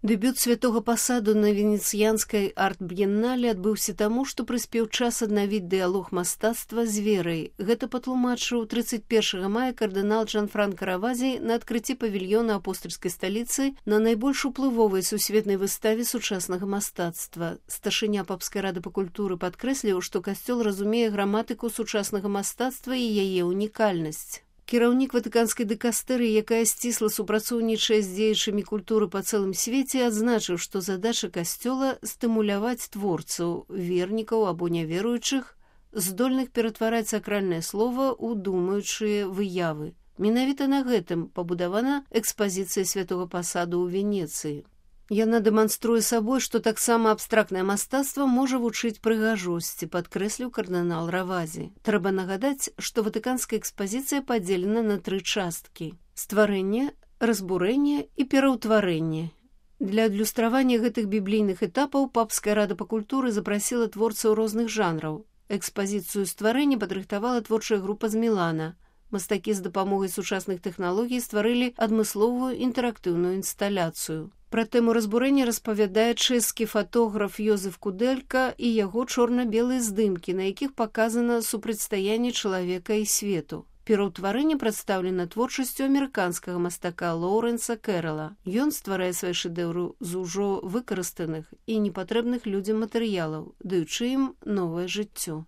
Дэбют святого пасаду на венецыянскай арт-б'еннале адбыўся таму, што прыспеў час аднавіць дыялог мастацтва з верай. Гэта патлумачыў 31 мая кардынал Джанфранка Равазі на адкрыцці павільёна апостальскай сталіцы на найбольш уплывовай сусветнай выставе сучаснага мастацтва. Старшыня папскай рады па культуры падкрэсліў, што касцёл разумее граматыку сучаснага мастацтва і яе унікальнасць. Кіраўнік ватыканскай дыкастэрыі, якая сцісла супрацоўнічае з дзеячамі культуры па цэлым свеце, адзначыў, што задача касцёла стымуляваць творцаў, вернікаў або няверуючых, здольных ператвараць сакральнае слова ў думаючыя выявы. Менавіта на гэтым пабудавана экспазіцыя святога пасаду ў Венецыі. Яна дэманструе сабой, што таксама абстрактнае мастацтва можа вучыць прыгажосці, падкрэсліў кардынал Равазі. Трэба нагадаць, што ватыканская экспазіцыя падзелена на 3 часткі: стварэнне, разбурэнне і пераўтварэнне. Для адлюстравання гэтых біблійных этапаў папская рада па культуры запрасіла творцаў розных жанраў. Экспазіцыю стварэння падрыхтавала творчая група з Мілана. Мастакі з дапамогай сучасных тэхналогій стварылі адмысловую інтэрактыўную інсталяцыю. Пра тэму разбурэння распавядае чэшскі фатограф Йозеф Кудэлька і яго чорна-белыя здымкі, на якіх паказана супрацьстаянне чалавека і свету. Пераўтварэнне прадстаўлена творчасцю амерыканскага мастака Лоўрэнса Кэрэла. Ён стварае свае шэдэўры з ужо выкарыстаных і непатрэбных людзям матэрыялаў, даючы ім новае жыццё.